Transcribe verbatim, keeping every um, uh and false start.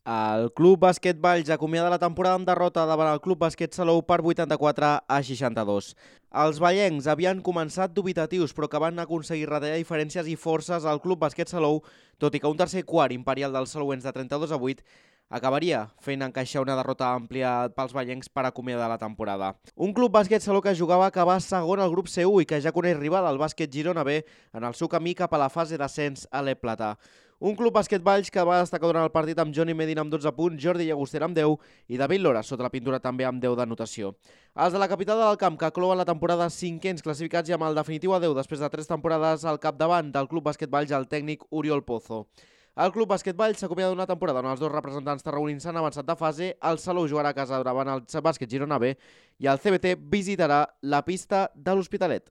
El Club Bàsquet Valls acomiada la temporada amb derrota davant el Club Bàsquet Salou per vuitanta-quatre a seixanta-dos. Els vallencs havien començat dubitatius, però que van aconseguir retallar diferències i forces al Club Bàsquet Salou, tot i que un tercer quart imperial dels salouens de trenta-dos a vuit acabaria fent encaixar una derrota àmplia pels vallencs per acomiadar la temporada. Un Club Bàsquet Salou que jugava a acabar segon al grup C u i que ja coneix rival al Bàsquet Girona B en el seu camí cap a la fase d'ascens a l'E Plata. Un Club Bàsquet Valls que va destacar durant el partit amb Johnny Medina amb dotze punts, Jordi Llagostera amb deu i David Lora sota la pintura també amb deu d'anotació. Els de la capital del camp que clouen la temporada cinquens classificats i amb el definitiu adeu després de tres temporades al capdavant del Club Bàsquet Valls el tècnic Oriol Pozo. El Club Bàsquet Valls s'acomiada d'una temporada on els dos representants tarragonins s'han avançat de fase, el Salou jugarà a casa davant el Bàsquet Girona B i el C B T visitarà la pista de l'Hospitalet.